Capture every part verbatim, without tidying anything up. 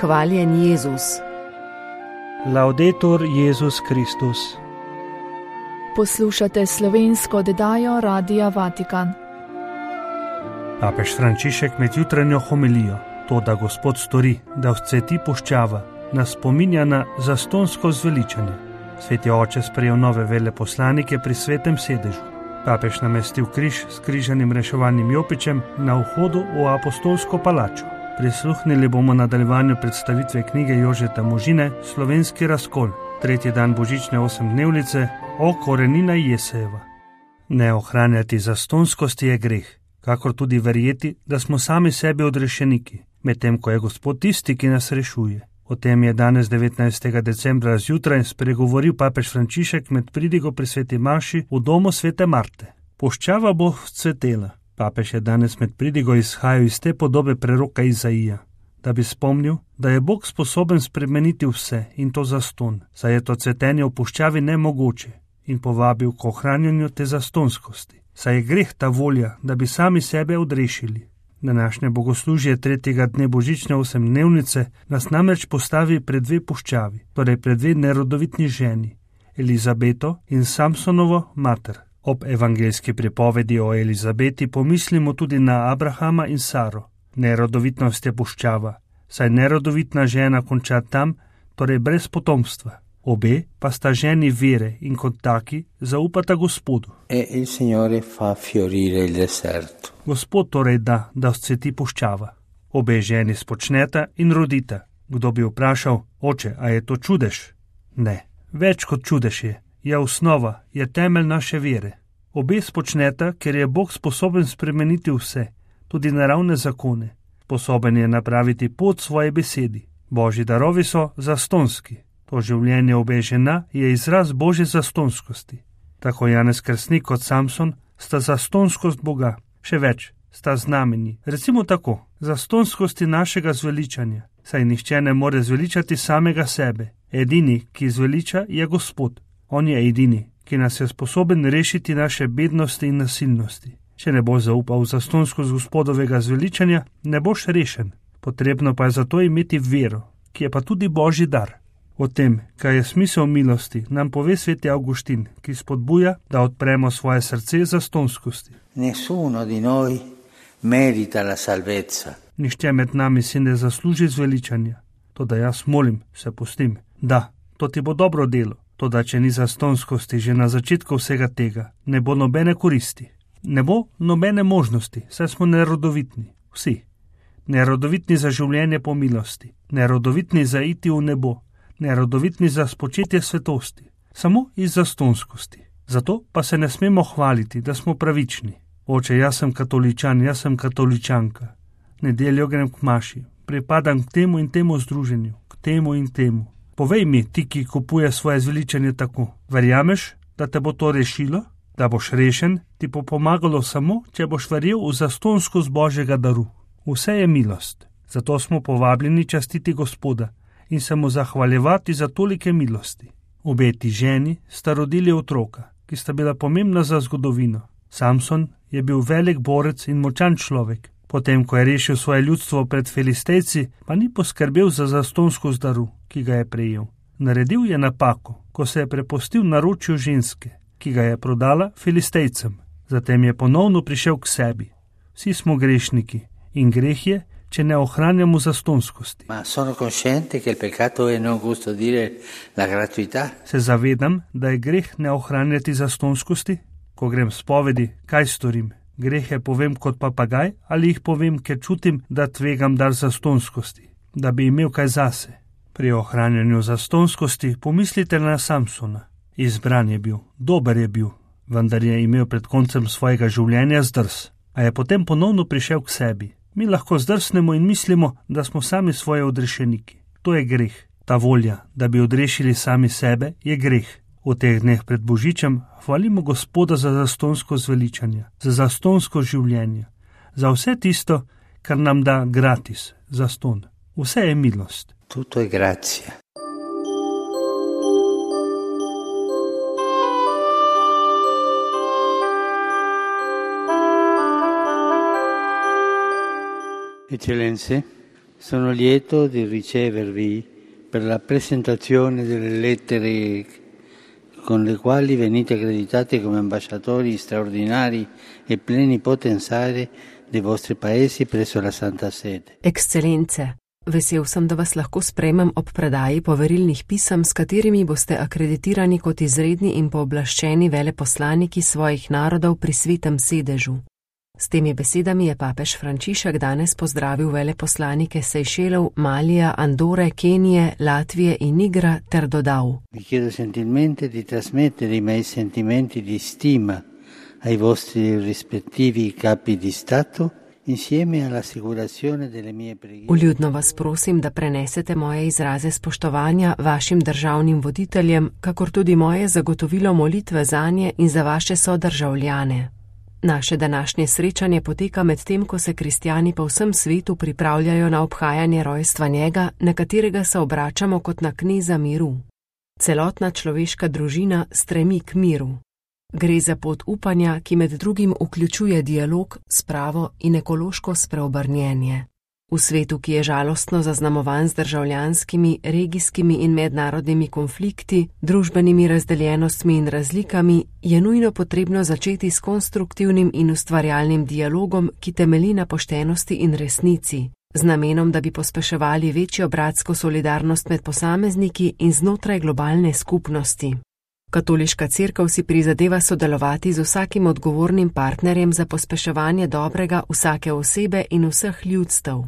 Hvaljen Jezus. Laudetur Jezus Kristus. Poslušate slovensko oddajo Radia Vatikan. Papež Frančišek med jutranjo homilijo, to, da Gospod stori, da vzcveti puščava, nas spominja na zastonsko zveličanje. Sveti oče sprejel nove veleposlanike pri svetem sedežu. Papež namestil križ s križanim reševalnim jopičem na vhodu v apostolsko palačo. Prisluhnili bomo nadaljevanju predstavitve knjige Jožeta Možine Slovenski razkol, tretji dan božične osemdnevnice o korenina Jesejeva. Ne ohranjati zastonskosti je greh, kakor tudi verjeti, da smo sami sebi odrešeniki, medtem ko je Gospod tisti, ki nas rešuje. O tem je danes devetnajstega decembra zjutraj spregovoril papež Frančišek med pridigo pri sveti maši v domu svete Marte. Puščava bo vzcvetela. Papež je danes med pridigo izhajal iz te podobe preroka Izaija, da bi spomnil, da je Bog sposoben spremeniti vse in to zaston, saj je to cvetenje v puščavi nemogoče, in povabil k ohranjanju te zastonskosti. Saj je greh ta volja, da bi sami sebe odrešili. Današnje bogoslužje tretjega dne božične osemdnevnice nas namreč postavi pred dve puščavi, torej pred dve nerodovitni ženi, Elizabeto in Samsonovo mater. Ob evangeljski pripovedi o Elizabeti pomislimo tudi na Abrahama in Saro. Nerodovitnost je puščava, saj nerodovitna žena konča tam, torej brez potomstva. Obe pa sta ženi vere in kot taki zaupata Gospodu. E il Signore fa fiorire il deserto. Gospod torej da, da vzcveti puščava. Obe ženi spočneta in rodita. Kdo bi vprašal, oče, a je to čudež? Ne, več kot čudež je. Je osnova, je temelj naše vere. Obe spočneta, ker je Bog sposoben spremeniti vse, tudi naravne zakone. Sposoben je napraviti pot svoje besedi. Božji darovi so zastonski. To življenje obe žena je izraz Božje zastonskosti. Tako Janez Krstnik kot Samson sta zastonskost Boga. Še več, sta znamenji. Recimo tako, zastonskosti našega zveličanja. Saj nihče ne more zveličati samega sebe. Edini, ki zveliča, je Gospod. On je edini, ki nas je sposoben rešiti naše bednosti in nasilnosti. Če ne boš zaupal v zastonskost Gospodovega zveličanja, ne boš rešen. Potrebno pa je zato imeti vero, ki je pa tudi Božji dar. O tem, kaj je smisel milosti, nam pove sveti Avguštin, ki spodbuja, da odpremo svoje srce zastonskosti. Nessuno di noi merita la salvezza. Nihče med nami si ne zasluži zveličanja. Toda jaz molim, se pustim. Da, to ti bo dobro delo. Toda, če ni zastonskosti že na začetku vsega tega, ne bo nobene koristi. Ne bo nobene možnosti, saj smo nerodovitni. Vsi. Nerodovitni za življenje po milosti. Nerodovitni za iti v nebo. Nerodovitni za spočetje svetosti. Samo iz zastonskosti. Zato pa se ne smemo hvaliti, da smo pravični. Oče, jaz sem katoličan, jaz sem katoličanka. Nedeljo grem k maši, pripadam k temu in temu združenju, k temu in temu. Povej mi, ti, ki kupuje svoje zveličanje tako, verjameš, da te bo to rešilo, da boš rešen, ti bo pomagalo samo, če boš verjel v zastonskost Božjega daru. Vse je milost, zato smo povabljeni častiti Gospoda in se mu zahvaljevati za tolike milosti. Obe ti ženi sta rodili otroka, ki sta bila pomembna za zgodovino. Samson je bil velik borec in močan človek. Potem, ko je rešil svoje ljudstvo pred Filistejci, pa ni poskrbel za zastonskost daru, ki ga je prejel. Naredil je napako, ko se je prepustil naročju ženske, ki ga je prodala Filistejcem. Zatem je ponovno prišel k sebi. Vsi smo grešniki in greh je, če ne ohranjamo zastonskosti. Ma sono cosciente che il peccato è non custodire la gratuità. Se zavedam, da je greh ne ohranjati zastonskosti? Ko grem spovedi, kaj storim? Grehe povem kot papagaj ali jih povem, ker čutim, da tvegam dar zastonskosti, da bi imel kaj zase. Pri ohranjanju zastonskosti pomislite na Samsona. Izbran je bil, dober je bil, vendar je imel pred koncem svojega življenja zdrs, a je potem ponovno prišel k sebi. Mi lahko zdrsnemo in mislimo, da smo sami svoje odrešeniki. To je greh. Ta volja, da bi odrešili sami sebe, je greh. V teh dneh pred Božičem hvalimo Gospoda za zastonsko zveličanje, za zastonsko življenje, za vse tisto, kar nam da gratis, zaston. Vse je milost. Tutto è grazia. Eccellenze, Sono lieto di ricevervi per la presentazione delle lettere con le quali venite accreditati come ambasciatori straordinari e plenipotensari dei vostri paesi presso la Santa Sede. Ekscelence, vesel sem, da vas lahko sprejmem ob predaji poverilnih pisem, s katerimi boste akreditirani kot izredni in pooblaščeni veleposlaniki svojih narodov pri Svetem sedežu. S temi besedami je papež Frančišek danes pozdravil veleposlanike Sejšelov, Malija, Andore, Kenije, Latvije in Nigra ter dodal: Vi chiedo gentilmente di trasmettere i miei sentimenti di stima ai vostri rispettivi capi di Stato insieme all'assicurazione delle mie preghiere. Vljudno vas prosim, da prenesete moje izraze spoštovanja vašim državnim voditeljem, kakor tudi moje zagotovilo molitve zanje in za vaše sodržavljane. Naše današnje srečanje poteka med tem, ko se kristjani po vsem svetu pripravljajo na obhajanje rojstva njega, na katerega se obračamo kot na kneza miru. Celotna človeška družina stremi k miru. Gre za pot upanja, ki med drugim vključuje dialog, spravo in ekološko spreobrnjenje. V svetu, ki je žalostno zaznamovan z državljanskimi, regijskimi in mednarodnimi konflikti, družbenimi razdeljenostmi in razlikami, je nujno potrebno začeti s konstruktivnim in ustvarjalnim dialogom, ki temelji na poštenosti in resnici, z namenom, da bi pospeševali večjo bratsko solidarnost med posamezniki in znotraj globalne skupnosti. Katoliška cerkev si prizadeva sodelovati z vsakim odgovornim partnerjem za pospeševanje dobrega vsake osebe in vseh ljudstev.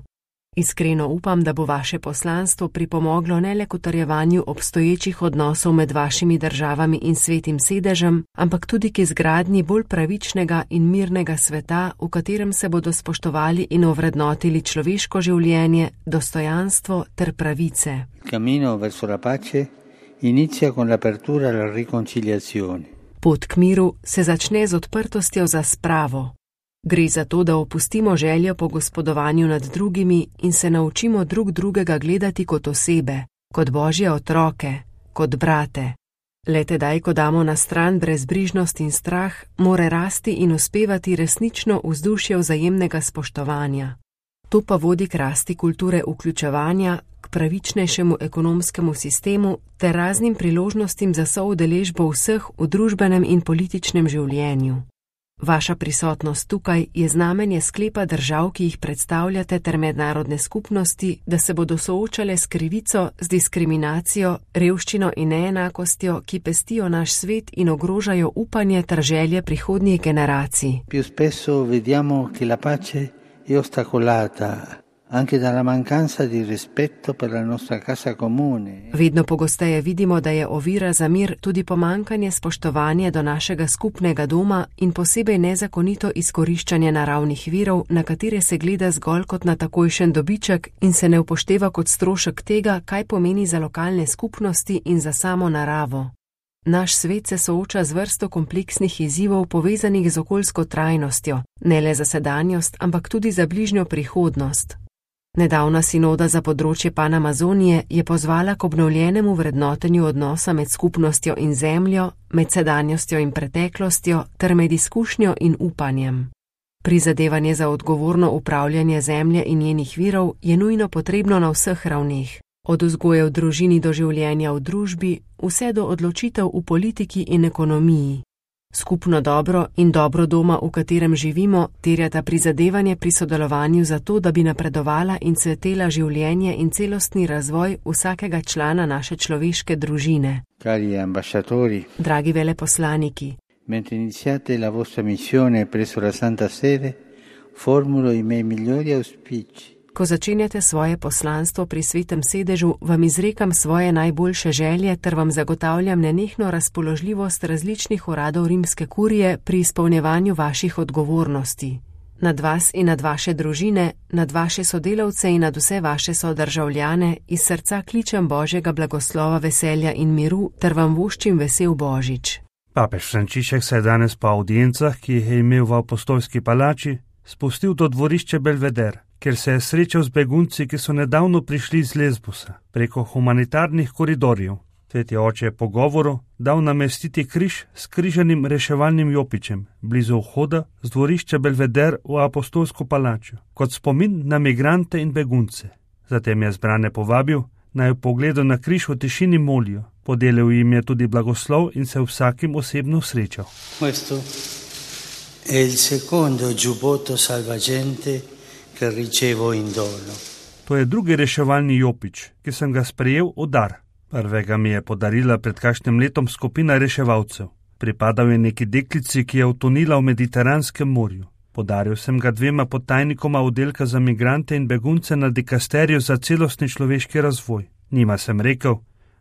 Iskreno upam, da bo vaše poslanstvo pripomoglo ne le k utrjevanju obstoječih odnosov med vašimi državami in Svetim sedežem, ampak tudi k izgradnji bolj pravičnega in mirnega sveta, v katerem se bodo spoštovali in ovrednotili človeško življenje, dostojanstvo ter pravice. Cammino verso la pace inizia con l'apertura alla riconciliazione. Pot k miru se začne z odprtostjo za spravo. Gre za to, da opustimo željo po gospodovanju nad drugimi in se naučimo drug drugega gledati kot osebe, kot božje otroke, kot brate. Le tedaj, ko damo na stran brezbrižnost in strah, more rasti in uspevati resnično vzdušje vzajemnega spoštovanja. To pa vodi k rasti kulture vključevanja, k pravičnejšemu ekonomskemu sistemu ter raznim priložnostim za soudeležbo vseh v družbenem in političnem življenju. Vaša prisotnost tukaj je znamenje sklepa držav, ki jih predstavljate, ter mednarodne skupnosti, da se bodo soočale s krivico, z diskriminacijo, revščino in neenakostjo, ki pestijo naš svet in ogrožajo upanje ter želje prihodnjih generacij. Più spesso vediamo che la pace è ostacolata anche dalla mancanza di rispetto per la nostra casa comune. Vedno pogosteje vidimo, da je ovira za mir tudi pomankanje spoštovanja do našega skupnega doma in posebej nezakonito izkoriščanje naravnih virov, na katere se gleda zgolj kot na takojšen dobiček in se ne upošteva kot strošek tega, kaj pomeni za lokalne skupnosti in za samo naravo. Naš svet se sooča z vrsto kompleksnih izzivov povezanih z okoljsko trajnostjo, ne le za sedanjost, ampak tudi za bližnjo prihodnost. Nedavna sinoda za področje Panamazonije je pozvala k obnovljenemu vrednotenju odnosa med skupnostjo in zemljo, med sedanjostjo in preteklostjo ter med izkušnjo in upanjem. Prizadevanje za odgovorno upravljanje zemlje in njenih virov je nujno potrebno na vseh ravneh, od vzgoje v družini do življenja v družbi, vse do odločitev v politiki in ekonomiji. Skupno dobro in dobro doma, v katerem živimo, terjata prizadevanje pri sodelovanju za to, da bi napredovala in cvetela življenje in celostni razvoj vsakega člana naše človeške družine. Cari ambasciatori, dragi veleposlaniki, mentre iniziate la vostra missione presso la Santa Sede, formulo i miei migliori auspici. Ko začenjate svoje poslanstvo pri Svetem sedežu, vam izrekam svoje najboljše želje ter vam zagotavljam nenehno razpoložljivost različnih uradov rimske kurije pri izpolnjevanju vaših odgovornosti. Nad vas in nad vaše družine, nad vaše sodelavce in nad vse vaše sodržavljane iz srca kličem Božjega blagoslova, veselja in miru ter vam voščim vesel Božič. Papež Frančišek se je danes po audiencah, ki jih je imel v Apostolski palači, spustil do dvorišče Belveder, kjer se je srečal z begunci, ki so nedavno prišli z Lesbosa, preko humanitarnih koridorjev. Sveti oče je po govoru dal namestiti križ s križanim reševalnim jopičem, blizu vhoda z dvorišča Belveder v Apostolsko palačo, kot spomin na migrante in begunce. Zatem je zbrane povabil, naj v pogledu na križ v tišini molijo. Podelil jim je tudi blagoslov in se vsakim osebno srečal. Questo è il secondo giubbotto salvagente che ricevo in dono. To je drugi reševalni jopič, ki sem ga sprejel v dar. Prvega mi je podarila pred kakšnim letom skupina reševalcev. Pripadal je neki deklici, ki je utonila v Mediteranskem morju. Podaril sem ga dvema podtajnikoma oddelka za migrante in begunce na dikasteriju za celostni človeški razvoj. Njima sem rekel,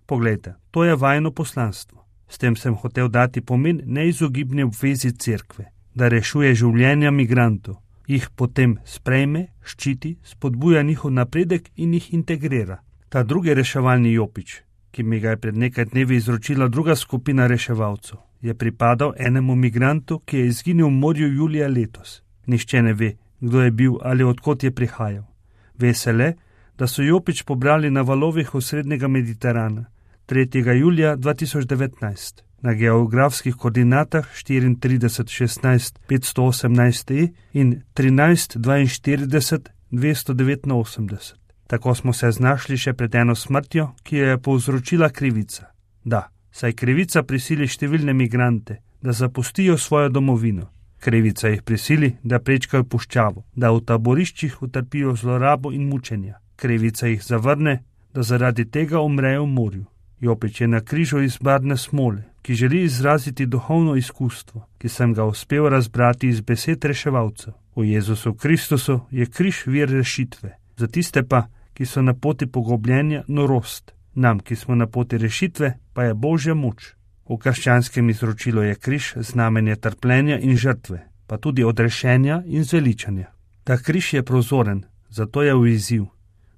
poglejte, to je vajino poslanstvo. S tem sem hotel dati pomen neizogibni obvezi cerkve, da rešuje življenja migrantov, jih potem sprejme, ščiti, spodbuja njihov napredek in jih integrira. Ta drugi reševalni jopič, ki mi ga je pred nekaj dnevi izročila druga skupina reševalcev, je pripadal enemu migrantu, ki je izginil v morju julija letos. Nihče ne ve, kdo je bil ali odkot je prihajal. Ve se le, da so jopič pobrali na valovih osrednjega Mediterana tretjega julija dva tisoč devetnajst na geografskih koordinatah štiriintrideset šestnajst petsto osemnajst e in trinajst dvainštirideset dvesto devetinosemdeset. Tako smo se znašli še pred eno smrtjo, ki jo je povzročila krivica. Da, saj krivica prisili številne migrante, da zapustijo svojo domovino. Krivica jih prisili, da prečkajo puščavo, da v taboriščih utrpijo zlorabo in mučenja. Krivica jih zavrne, da zaradi tega umrejo v morju. Jopič je na križu iz barvne smole, ki želi izraziti duhovno izkustvo, ki sem ga uspel razbrati iz besed reševalcev. V Jezusu Kristusu je križ vir rešitve. Za tiste pa, ki so na poti pogubljenja, norost. Nam, ki smo na poti rešitve, pa je Božja moč. V krščanskem izročilu je križ znamenje trpljenja in žrtve, pa tudi odrešenja in zveličanja. Ta križ je prozoren, zato je v izziv,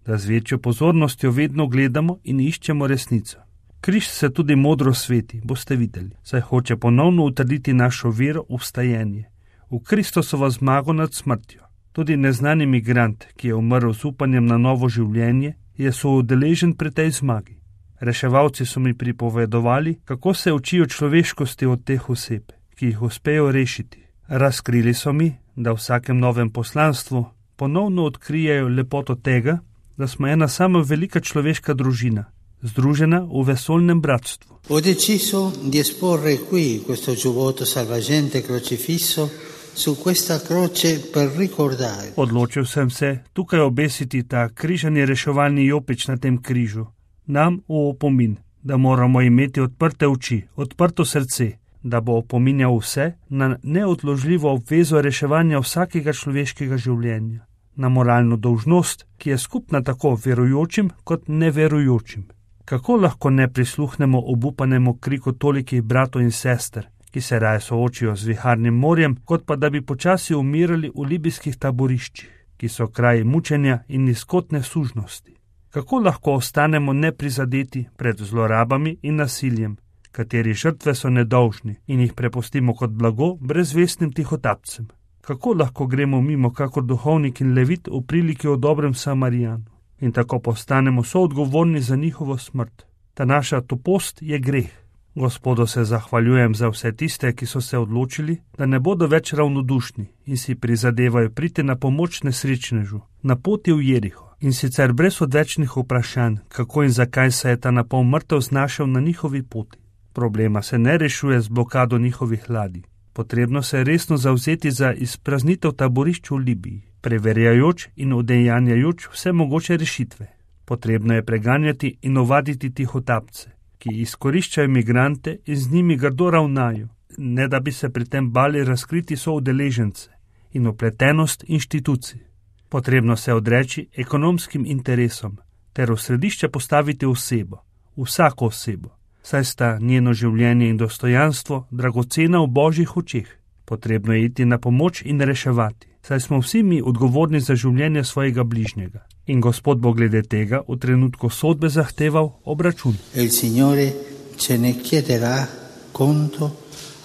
da z večjo pozornostjo vedno gledamo in iščemo resnico. Križ se tudi modro sveti, boste videli, saj hoče ponovno utrditi našo vero v vstajenje, v Kristusovo zmago nad smrtjo. Tudi neznani migrant, ki je umrl z upanjem na novo življenje, je soudeležen pri tej zmagi. Reševalci so mi pripovedovali, kako se učijo človeškosti od teh oseb, ki jih uspejo rešiti. Razkrili so mi, da v vsakem novem poslanstvu ponovno odkrijejo lepoto tega, da smo ena sama velika človeška družina, združena v vesoljnem bratstvu. Ho deciso di esporre qui questo giubbotto salvagente crocifisso su questa croce per ricordare. Odločil sem se tukaj obesiti ta križani reševalni jopič na tem križu, nam v opomin, da moramo imeti odprte oči, odprto srce, da bo opominjal vse na neodložljivo obvezo reševanja vsakega človeškega življenja, na moralno dolžnost, ki je skupna tako verujočim kot neverujočim. Kako lahko ne prisluhnemo obupanemu kriku tolikih bratov in sester, ki se raje soočijo z viharnim morjem, kot pa da bi počasi umirali v libijskih taboriščih, ki so kraji mučenja in nizkotne sužnosti. Kako lahko ostanemo neprizadeti pred zlorabami in nasiljem, kateri žrtve so nedolžni in jih prepustimo kot blago brezvestnim tihotapcem? Kako lahko gremo mimo kakor duhovnik in levit v priliki o dobrem Samarijanu in tako postanemo soodgovorni za njihovo smrt? Ta naša topost je greh. Gospodu se zahvaljujem za vse tiste, ki so se odločili, da ne bodo več ravnodušni in si prizadevajo priti na pomoč nesrečnežu, na poti v Jeriho, in sicer brez odvečnih vprašanj, kako in zakaj se je ta napol mrtev znašel na njihovi poti. Problema se ne rešuje z blokado njihovih ladij. Potrebno se je resno zavzeti za izpraznitev taborišč v Libiji, preverjajoč in udejanjajoč vse mogoče rešitve. Potrebno je preganjati in ovaditi tihotapce, ki izkoriščajo migrante in z njimi grdo ravnajo, ne da bi se pri tem bali razkriti soudeležence in opletenost inštitucij. Potrebno se odreči ekonomskim interesom ter v središče postaviti osebo, vsako osebo, saj sta njeno življenje in dostojanstvo dragocena v Božjih očeh. Potrebno je iti na pomoč in reševati, saj smo vsi mi odgovorni za življenje svojega bližnjega. In Gospod bo glede tega v trenutku sodbe zahteval obračun. Il Signore ce ne chiederà conto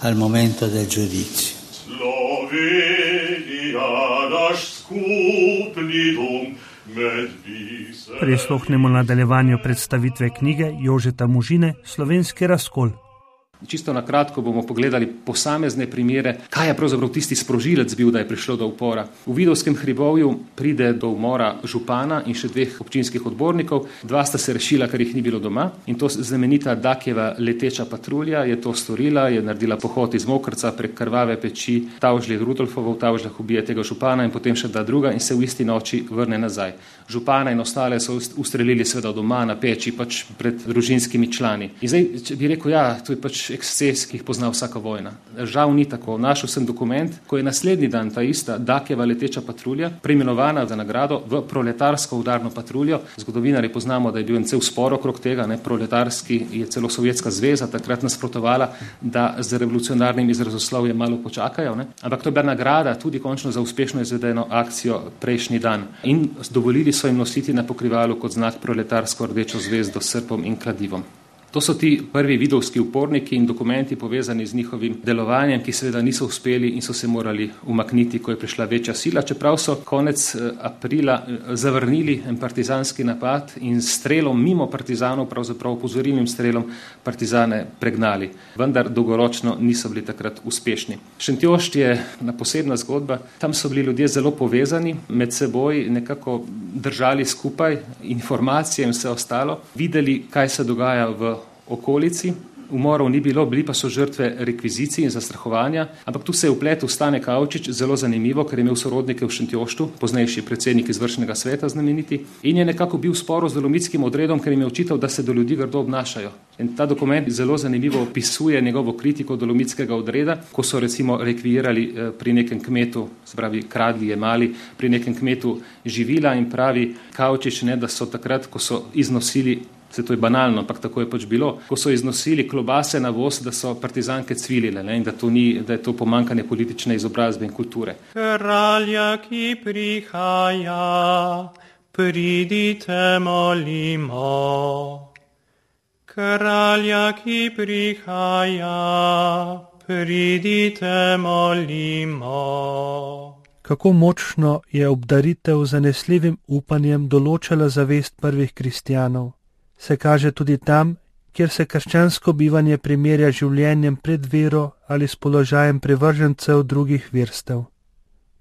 al momento del giudizio. Prisluhnemo nadaljevanju predstavitve knjige Jožeta Možine Slovenski razkol. Čisto na kratko bomo pogledali posamezne primere, kaj je pravzaprav tisti sprožilec bil, da je prišlo do upora. V Vidovskem hribovju pride do umora župana in še dveh občinskih odbornikov. Dva sta se rešila, ker jih ni bilo doma, in to znamenita Dakjeva leteča patrulja je to storila, je naredila pohod iz Mokrca prek krvave peči Tavžlje Rudolfovo, v Tavžljah ubije tega župana in potem še da druga in se v isti noči vrne nazaj. Župana in ostale so ustrelili seveda doma na peči, pač pred družinskimi člani. In zdaj, če bi rekel, ja, to je pač eksces, ki jih pozna vsaka vojna. Žal ni tako. Našel sem dokument, ko je naslednji dan ta ista Dakjeva leteča patrulja preimenovana za nagrado v proletarsko udarno patruljo. Zgodovinarji poznamo, da je bil en cel spor okrog tega, ne, proletarski je celo Sovjetska zveza takrat nasprotovala, da z revolucionarnim izrazoslovjem malo počakajo, ne. Ampak to je bila nagrada tudi končno za uspešno izvedeno akcijo prejšnji dan. In dovolili so jim nositi na pokrivalu kot znak proletarsko rdečo zvezdo s srpom in kladivom. To so ti prvi vidovski uporniki in dokumenti povezani z njihovim delovanjem, ki seveda niso uspeli in so se morali umakniti, ko je prišla večja sila, čeprav so konec aprila zavrnili en partizanski napad in strelom mimo partizanov, pravzaprav opozorilnim strelom, partizane pregnali. Vendar dolgoročno niso bili takrat uspešni. Šentjošt je ena posebna zgodba. Tam so bili ljudje zelo povezani, med seboj nekako držali skupaj informacije in vse ostalo, videli, kaj se dogaja v okolici. Umorov ni bilo, bili pa so žrtve rekvizicij in zastrahovanja, ampak tu se je vpletel Stane Kavčič, zelo zanimivo, ker je imel sorodnike v Šentjoštu, poznejši predsednik izvršnega sveta znameniti, in je nekako bil v sporu z dolomitskim odredom, ker jim je očital, da se do ljudi grdo obnašajo. In ta dokument zelo zanimivo opisuje njegovo kritiko dolomitskega odreda, ko so recimo rekvirali pri nekem kmetu, se pravi kradli, jemali pri nekem kmetu živila, in pravi Kavčič, ne, da so takrat, ko so iznosili, se to je banalno, ampak tako je pač bilo, ko so iznosili klobase na voz, da so partizanke cvilile, ne, in da, to ni, da je to pomankanje politične izobrazbe in kulture. Kralja, ki prihaja, pridite molimo. Kralja, ki prihaja, pridite molimo. Kako močno je obdaritev zanesljivim upanjem določala zavest prvih kristjanov, se kaže tudi tam, kjer se krščansko bivanje primerja življenjem pred vero ali s položajem privržencev drugih verstev.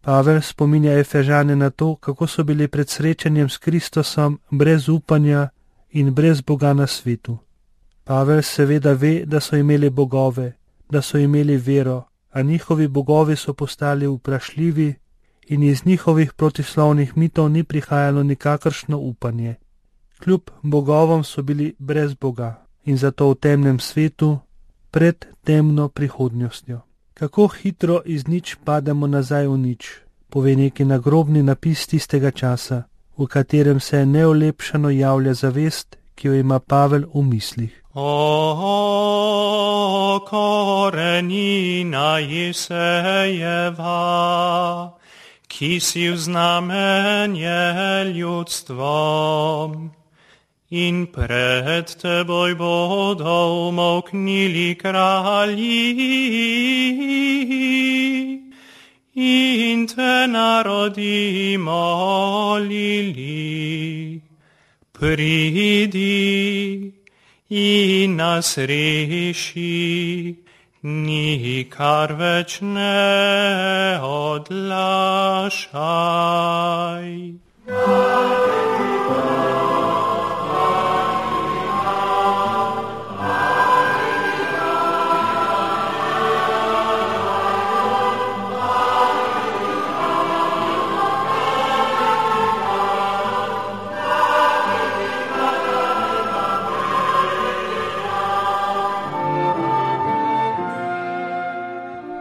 Pavel spominja Efežane na to, kako so bili pred srečanjem s Kristusom brez upanja in brez Boga na svetu. Pavel seveda ve, da so imeli bogove, da so imeli vero, a njihovi bogovi so postali vprašljivi in iz njihovih protislovnih mitov ni prihajalo nikakršno upanje. Kljub bogovom so bili brez Boga in zato v temnem svetu, pred temno prihodnostjo. Kako hitro iz nič pademo nazaj v nič, pove neki nagrobni napis tistega časa, v katerem se neolepšano javlja zavest, ki jo ima Pavel v mislih. O, korenina Isejeva, ki si vznamenje ljudstvom, in pred teboj bodo umolknili kralji in te narodi molili. Pridi in nas reši, nikar več ne odlašaj.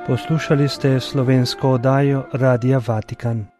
Poslušali ste slovensko oddajo Radia Vatikan.